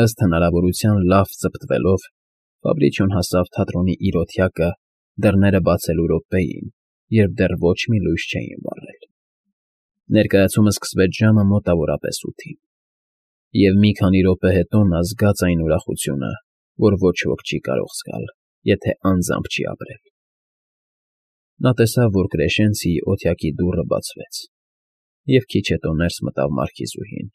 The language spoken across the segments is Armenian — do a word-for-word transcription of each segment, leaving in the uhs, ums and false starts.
Ըստ հնարավորության լավ ծպտվելով, Ֆաբրիչոն հասավ թատրոնի իր օթյակը դռները բացելու րոպեին, երբ դեռ ոչ մի լույս չէին վառել. Ներկայացումը սկսվեց ժամը մոտավորապես ութին, և մի քանի րոպե հետո նա զգաց այն ուրախությունը, որ ոչ ոք չի կարող զգալ, եթե անձամբ չի ապրել. նա տեսավ, որ Կրեշենցիի օթյակի դուռը բացվեց, և քիչ հետո ներս մտավ մարքիզուհին.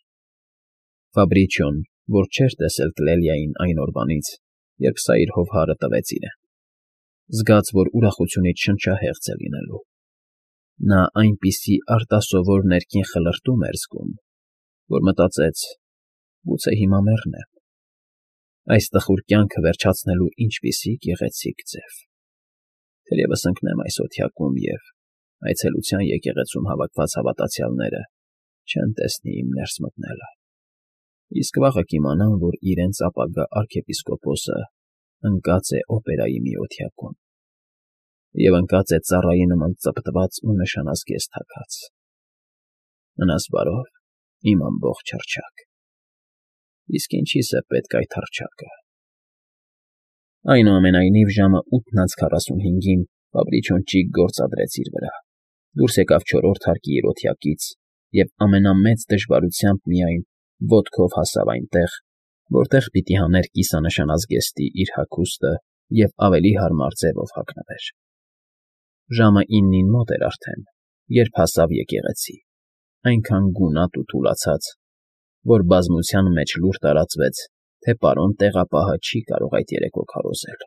Ֆաբրիչոն, որ չէր տեսել Կլելիային այն օրվանից, երբ սա իր հովհարը տվեց իրեն, զգաց, որ ուրախությունից շնչահեղձ է լինելու. նա այնպիսի արտասովոր ներքին խլրտում էր զգում, որ մտածեց. «Գուցե հիմա մեռնեմ, այս տխուր կյանքը վերջացնելու ինչպիսի գեղեցիկ ձև… Թերևս ընկնեմ այս օթյակում և, այցելության եկեղեցում հավաքված հավատացյալները չեն տեսնի իմ ներս մտնելը, իսկ վաղը կիմանան, որ իրենց ապագա արքեպիսկոպոսը ընկած է օպերայի մի օթյակում և ընկած է ծառայի նման ծպտված ու նշանազգեստ հագած… Մնաս բարով, իմ ամբողջ հռչակ… Իսկ ինչի՞ս է պետք այդ հռչակը»։ Այնուամենայնիվ, ժամը ութն անց քառասունհինգին Ֆաբրիչոն ճիգ գործադրեց իր վրա, դուրս եկավ չորրորդ հարկի իր օթյակից և ամենամեծ դժվարությամբ միայն ոտքով հասավ այնտեղ, որտեղ պիտի հաներ կիսանշանազգեստի իր հագուստը և ավելի հարմար ձևով հագնվեր։ Ժամը իննին մոտ էր արդեն, երբ հասավ եկեղեցի, այնքան գունատ ու թուլացած, որ բազմության մեջ լուր տարածվեց, թե պարոն տեղապահը չի կարող այդ երեկո քարոզել։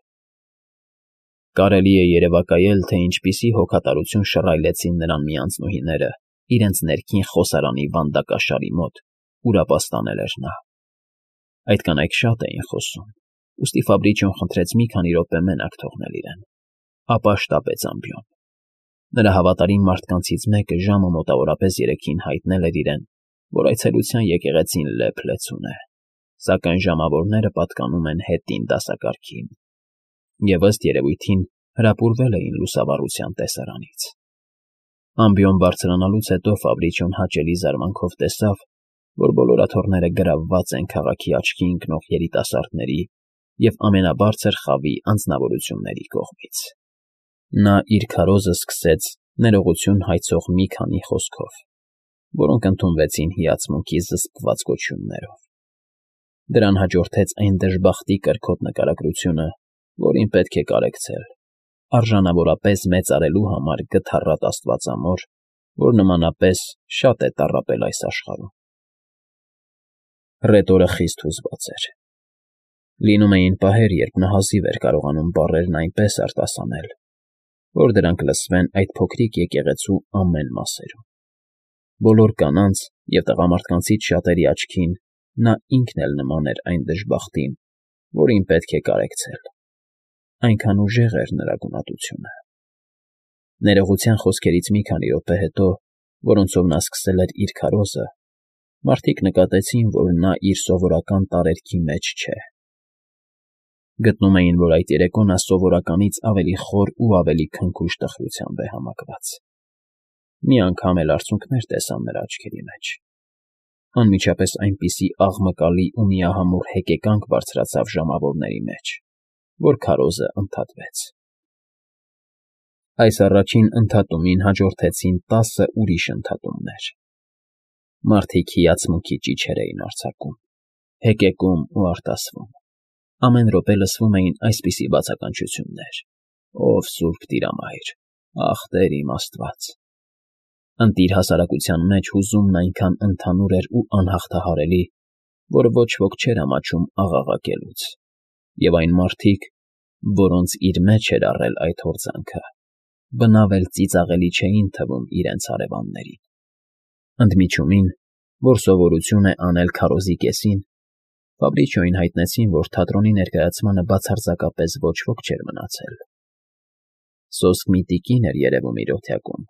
Կարելի է երևակայել, թե ինչպիսի հոգատարություն շռայլեցին նրան մի անձնուհիները իրենց ներքին խոսարանի վանդակաշարի մոտ, ուր ապաստանել էր նա։ Այդ կանայք շատ էին խոսում, ուստի Ֆաբրիչոն խնդրեց մի քանի րոպե մենակ թողնել իրեն, ապա շտապեց ամբիոն։ Նրա հավատարիմ մարդկանցից մեկը ժամը մոտավորապես երեքին հայտնել էր իրեն, որ այցելության եկեղեցին լեփ֊լեցուն է, սակայն ժամավորները պատկանում են հետին դասակարգին, և ըստ երևույթին հրապուրվել էին լուսավառության տեսարանից։ Ամբիոն բարձրանալուց հետո Ֆաբրիչոն հաճելի զարմանքով տեսավ, որ բոլոր աթոռները գրավված են քաղաքի աչքի ընկնող երիտասարդների և ամենաբարձր խավի անձնավորությունների կողմից։ Նա իր քարոզը սկսեց ներողություն հայցող մի քանի խոսքով, որոնք ընդունվեցին հիացմունքի զսպված գոչյուններով։ Դրան հաջորդեց այն դժբախտի կրքոտ նկարագրությունը, որին պետք է կարեկցել, արժանավորապես մեծարելու համար գթառատ աստվածամոր, որ նմանապես շատ է տառապել այս աշխարհում։ Ռետորը խիստ հուզված էր։ Լինում էին պահեր, երբ նա հազիվ էր կարողանում բառերն այնպես արտասանել, որ դրանք լսվեն այդ փոքրիկ եկեղեցու ամեն մասերում։ Բոլոր կանանց և տղամարդկանցից շատերի աչքին նա ինքն էլ նման էր այն դժբախտին, որին պետք է կարեկցել։ Այնքան ուժեղ էր նրա գունատությունը։ Ներողության խոսքերից մի քանի րոպե հետո, որոնցով նա սկսել էր իր քարոզը, մարդիկ նկատեցին, որ նա իր սովորական տարերքի մեջ չէ։ Գտնում էին, որ այդ երեկո նա սովորականից ավելի խոր ու ավելի քնքուշ տխրությամբ է համակված։ Մի անգամ էլ արցունքներ տեսան նրա աչքերի մեջ։ Անմիջապես այնպիսի աղմկալի ու միահամուռ հեկեկանք բարձրացավ ժամավորների մեջ, որ քարոզը ընդհատվեց։ Այս առաջին ընդհատումին հաջորդեցին տասը ուրիշ ընդհատումներ։ Մարդիկ հիացմունքի ճիչեր էին արձակում, հեկեկում ու արտասվում։ Ամեն րոպե լսվում էին այսպիսի բացականչություններ. «Ով սուրբ Տիրամայր, ախ Տեր իմ Աստված»։ Ընտիր հասարակության մեջ հուզումն այնքան ընդհանուր էր ու անհաղթահարելի, որ ոչ ոք չէր ամաչում աղաղակելուց, և այն մարդիկ, որոնց իր մեջ էր առել այդ հորձանքը, բնավ էլ ծիծաղելի չէին թվում իրենց հարևաններին։ Ընդմիջումին, որ սովորություն է անել քարոզի կեսին, Ֆաբրիչոյին հայտնեցին, որ թատրոնի ներկայացմանը բացարձակապես ոչ ոք չէր մնացել։ Սոսկ մի տիկին էր երևում իր օթյակում,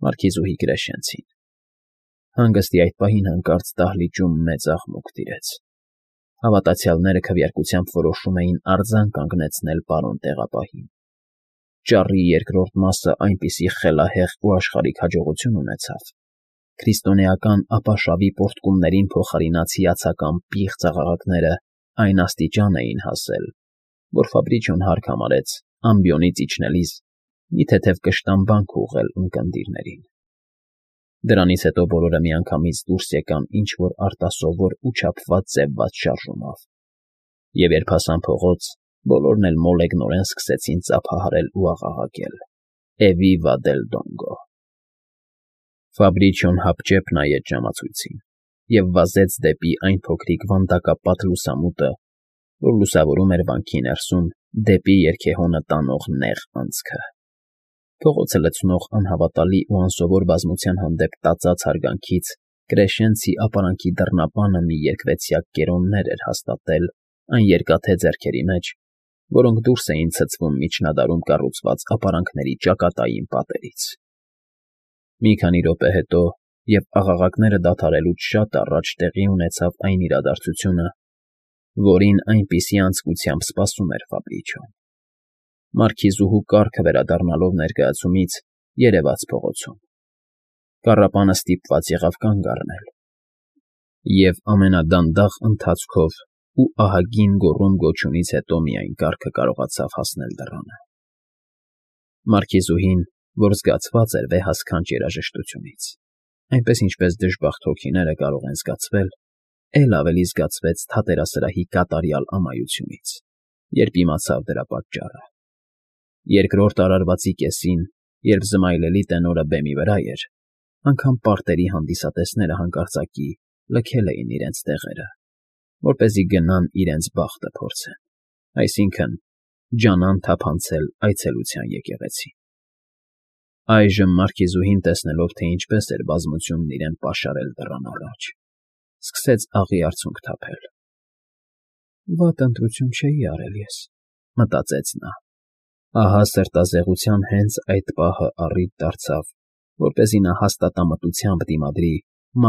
մարքիզուհի Կրեշենցին։ Հանգստի այդ պահին հանկարծ դահլիճում մեծ աղմուկ տիրեց։ Հավատացյալները քվեարկությամբ որոշում էին արձան կանգնեցնել պարոն տեղապահին։ Ճառի երկրորդ մասը այնպիսի խելահեղ ու աշխարհիկ հաջողություն ունեցավ, քրիստոնեական ապաշավի պոռթկումներին փոխարինած հիացական պիղծ աղաղակները այն աստիճան էին հասել, որ Ֆաբրիչոն հարկ համարեց ամբիոնից իջնելիս մի թեթև կշտամբանք ուղղել ունկնդիրներին։ Դրանից հետո բոլորը միանգամից դուրս եկան ինչ֊որ արտասովոր ու չափված ձևված շարժումով, և երբ հասան փողոց, բոլորն էլ մոլեգնորեն սկսեցին ծափահարել ու աղաղակել. «Էվիվա դել Դոնգո»։ Ֆաբրիչոն հապճեպ նայեց ժամացույցին և վազեց դեպի այն փոքրիկ վանդակապատ լուսամուտը, որ լուսավորում էր վանքի ներսում դեպի երգեհոնը տանող նեղ անցքը։ Փողոցը լցնող անհավատալի ու անսովոր բազմության հանդեպ տածած հարգանքից Կրեշենցի ապարանքի դռնապանը մի երկվեցյակ կերոններ էր հաստատել այն երկաթե ձեռքերի մեջ, որոնք դուրս էին ցցվում միջնադարում կառուցված ապարանքների ճակատային պատերից։ Մի քանի րոպե հետո, և աղաղակները դադարելուց շատ առաջ տեղի ունեցավ այն իրադարձությունը, որին այնպիսի անձկությամբ սպասում էր Ֆաբրիչոն։ Մարքիզուհու կառքը վերադառնալով ներկայացումից երևաց փողոցում։ Կառապանը ստիպված եղավ կանգ առնել, և ամենադանդաղ ընթացքով ու ահագին գոռում֊գոչյունից հետո միայն կառքը կարողացավ հասնել դռանը։ Մարքիզուհին, որ զգացված էր վեհասքանչ երաժշտությունից, այնպես ինչպես դժբախտ հոգիները կարող են զգացվել, էլ ավելի զգացվեց թատերասրահի կատարյալ ամայությունից, երբ իմացավ դրա պատճառը։ Երկրորդ արարվածի կեսին, երբ զմայլելի տենորը բեմի վրա էր, անգամ պարտերի հանդիսատեսները հանկարծակի լքել էին իրենց տեղերը, որպեսզի գնան իրենց բախտը փորձեն, այսինքն՝ ջանան թափանցել այցելության եկեղեցի։ Այժմ Մարքիզուհին, տեսնելով, թե ինչպես էր բազմությունն իրեն պաշարել դռան առաջ, սկսեց աղի արցունք թափել։ «Վատ ընտրություն չէի արել ես», մտածեց նա։ Ահա սրտազեղության հենց այդ պահը առիթ դարձավ, որպեսզի նա հաստատամտությամբ դիմադրի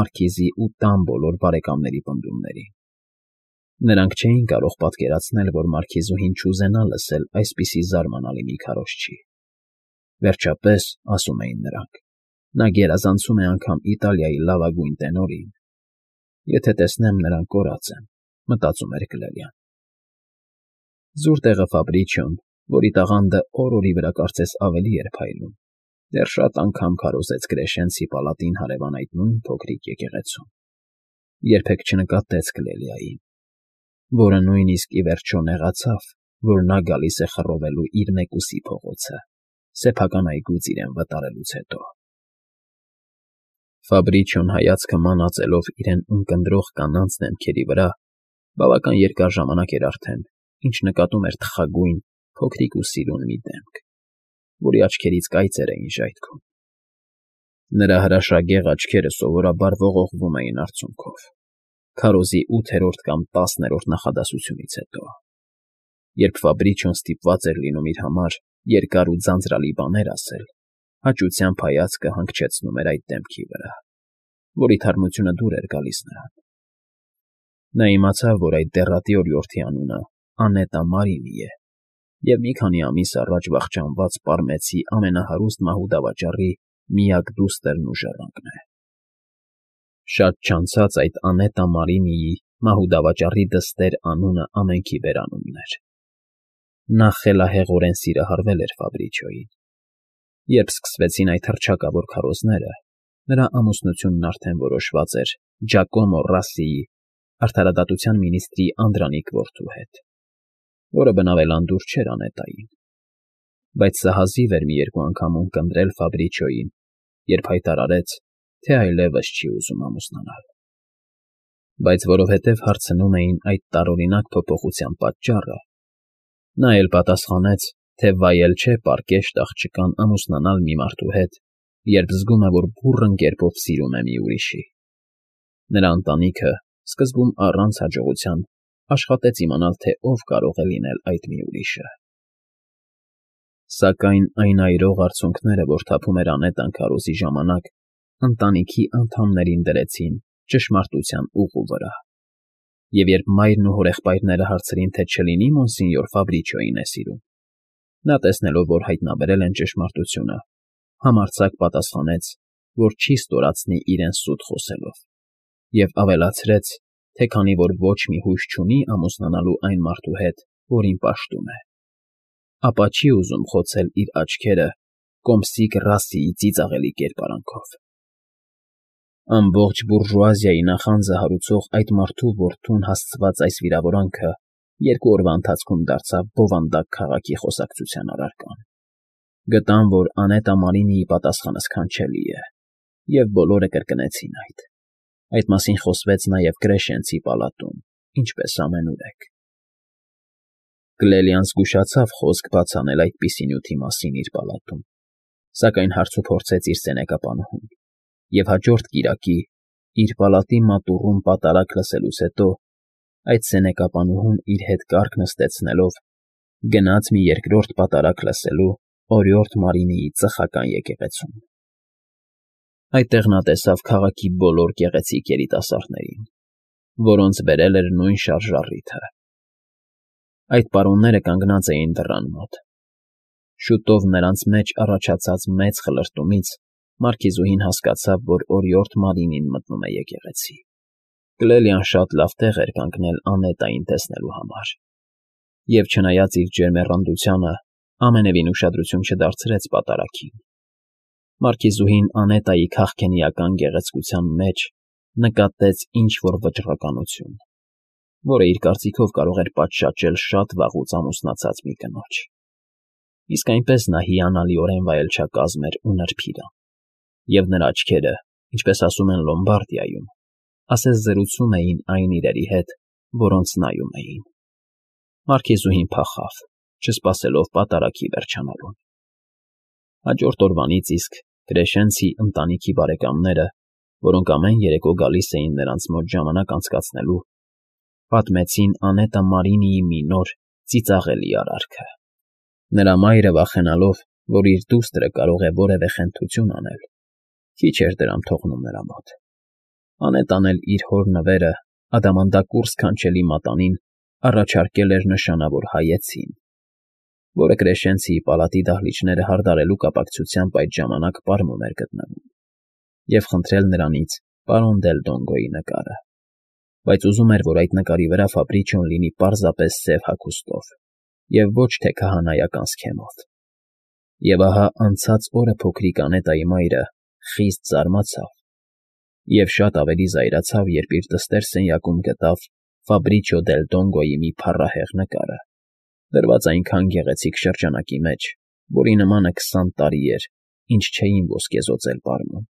Մարքիզի ու տան բոլոր բարեկամների պնդումներին։ Նրանք չէին կարող պատկերացնել, որ Մարքիզուհին չուզենա լսել այսպիսի զարմանալի մի քարոզչի։ Վերջապես, ասում էին նրանք, նա գերազանցում է անգամ Իտալիայի լավագույն տենորին։ Եթե տեսնեմ նրան կորած եմ, մտածում էր Կլելյան։ Զուր տեղը Ֆաբրիչոն, որի տաղանդը օր֊օրի վրա կարծես ավելի էր փայլում, դեռ շատ անգամ քարոզեց Կրեշենցի պալատին հարևան այդ նույն փոքրիկ եկեղեցում, երբեք չնկատեց Կլելիային, որը նույնիսկ ի վերջո նեղացավ, որ նա գալիս է խռովելու իր մեկուսի փողոցը, սեփական այգուց իրեն վտարելուց հետո։ Ֆաբրիչոն հայացքը մանածելով իրեն ունկնդրող կանանց դեմքերի վրա, բավական երկար ժամանակ էր արդեն, ինչ նկատում էր թխագույն, փոքրիկ ու սիրուն մի դեմք, որի աչքերից կայծեր էին ժայթքում։ Նրա հրաշագեղ աչքերը սովորաբար ողողվում էին արցունքով, քարոզի ութերորդ կամ տասներորդ նախադասությունից հետո։ Երբ Ֆաբրիչոն ստիպված էր լինում իր համար երկար ու ձանձրալի բաներ ասել, հաճությամբ հայացքը հանգչեցնում էր այդ դեմքի վրա, որի թարմությունը դուր էր գալիս նրան։ Նա իմացավ, որ այդ դեռատի օրիորդի անունը Անետա Մարինի է, և մի քանի ամիս առաջ վախճանված Պարմեցի ամենահարուստ մահուդավաճառի միակ դուստրն ու ժառանգն է։ Շատ չանցած այդ Անետա Մարինիի մահուդավաճառի դստեր անունը ամենքի բերանունն էր։ Նա խելահեղորեն սիրահարվել էր Ֆաբրիչոյին։ Երբ սկսվեցին այդ հռչակավոր քարոզները, նրա ամուսնությունն արդեն որոշված էր Ջակոմո Ռասսիի, արդարադատության մինիստրի Անդրանիկ որդու հետ, որը բնավ էլ անդուր չէր Անետային։ Բայց սա հազիվ էր մի երկու անգամ ունկնդրել Ֆաբրիչոյին, երբ հայտարարեց, թե այլևս չի ուզում ամուսնանալ։ Բայց որովհետև հարցնում էին այդ տարօրինակ փոփոխության պատճառը, նա էլ պատասխանեց, թե վայել չէ պարկեշտ աղջկան ամուսնանալ մի մարդու հետ, երբ զգում է, որ բուռն կերպով սիրում է մի ուրիշի։ Նրա ընտանիքը, սկզբում առանց հաջողության, աշխատեց իմանալ, թե ով կարող է լինել այդ մի ուրիշը։ Սակայն այն այրող արցունքները, որ թափում էր Անետան քարոզի ժամանակ, ընտանիքի անդամներին դրեցին ճշմարտության ուղու վրա, և երբ մայրն ու հորեղբայրները հարցրին, թե չլինի Մոնսինյոր Ֆաբրիչոյին է սիրում, նա, տեսնելով, որ հայտնաբերել են ճշմարտությունը, համարձակ պատասխանեց, որ չի ստորացնի իրեն սուտ խոսելով, և ավելացրեց, թե քանի որ ոչ մի հույս չունի ամուսնանալու այն մարդու հետ, որին պաշտում է, ապա չի ուզում խոցել իր աչքերը կոմսիկ Ռասիի ծիծաղելի կերպարանքով։ Ամբողջ բուրժուազիայի նախանձը հարուցող այդ մարդու որդուն հասցված այս վիրավորանքը երկու օրվա ընթացքում դարձավ բովանդակ քաղաքի խոսակցության առարկան։ Գտան, որ Անետա Մարինիի պատասխանը սքանչելի է, և բոլորը կրկնեցին այդ։ Այդ մասին խոսվեց նաև Կրեշենցի պալատում, ինչպես ամենուրեք։ Կլելիան զգուշացավ խոսք բաց անել այդպիսի նյութի մասին իր պալատում, սակայն հարցուփորձեց իր սենեկապանուհուն, և հաջորդ կիրակի, իր պալատի մատուռում պատարակ լսելուց հետո, այդ սենեկապանուհուն իր հետ կառք նստեցնելով գնաց մի երկրորդ պատարակ լսելու օրիորդ Մարինիի ծխական եկեղեցում։ Այդտեղ նա տեսավ քաղաքի բոլոր գեղեցիկ երիտասարդներին, որոնց բերել էր նույն շարժառիթը։ Այդ պարոնները կանգնած էին դռան մոտ։ Շուտով նրանց մեջ առաջացած մեծ խլրտումից մարքիզուհին հասկացավ, որ օրիորդ Մարինին մտնում է եկեղեցի։ Կլելիան շատ լավ տեղ էր կանգնել Անետային տեսնելու համար, և չնայած իր ջերմեռանդությանը, ամենևին ուշադրություն չդարձրեց պատարագին։ Մարքիզուհին Անետայի քաղքենիական գեղեցկության մեջ նկատեց ինչ-որ վճռականություն, որը իր կարծիքով կարող էր պատշաճել շատ վաղուց ամուսնացած մի կնոջ։ Իսկ այնպես նա հիանալիորեն վայելչակազմ էր ու նրբիրան, և նրա աչքերը, ինչպես ասում են Լոմբարդիայում, ասես զրուցում էին այն իրերի հետ, որոնց նայում էին։ Մարքիզուհին փախավ, չսպասելով պատարագի վերջանալուն։ Հաջորդ օրվանից իսկ Կրեշենցի ընտանիքի բարեկամները, որոնք ամեն երեկո գալիս էին նրանց մոտ ժամանակ անցկացնելու, պատմեցին Անետա Մարինիի մի նոր ծիծաղելի արարքը։ Նրա մայրը, վախենալով, որ իր դուստրը կարող է որևէ խենթություն անել, քիչ էր դրամ թողնում նրա մոտ։ Անետան էլ իր հոր նվերը ադամանդակուռ սքանչելի մատանին առաջարկել էր նշանավոր հայեցին, որը Կրեշենցիի պալատի դահլիճները հարդարելու կապակցությամբ այդ ժամանակ պարում էր գտնվում, և խնդրել նրանից պարոն Դել Դոնգոյի նկարը, բայց ուզում էր, որ այդ նկարի վրա Ֆաբրիչիոն լինի պարզապես սև հագուստով և ոչ թե քահանայական սքեմով։ Եվ ահա անցած օրը փոքրիկ Անետայի մայրը խիստ զարմացավ և շատ ավելի զայրացավ, երբ իր դստեր սենյակում գտավ Ֆաբրիչիո Դել Դոնգոյի մի փառահեղ նկարը, դրված այնքան գեղեցիկ շրջանակի մեջ, որի նմանը քսան տարի էր, ինչ չէին ոսկեզօծել պարմում։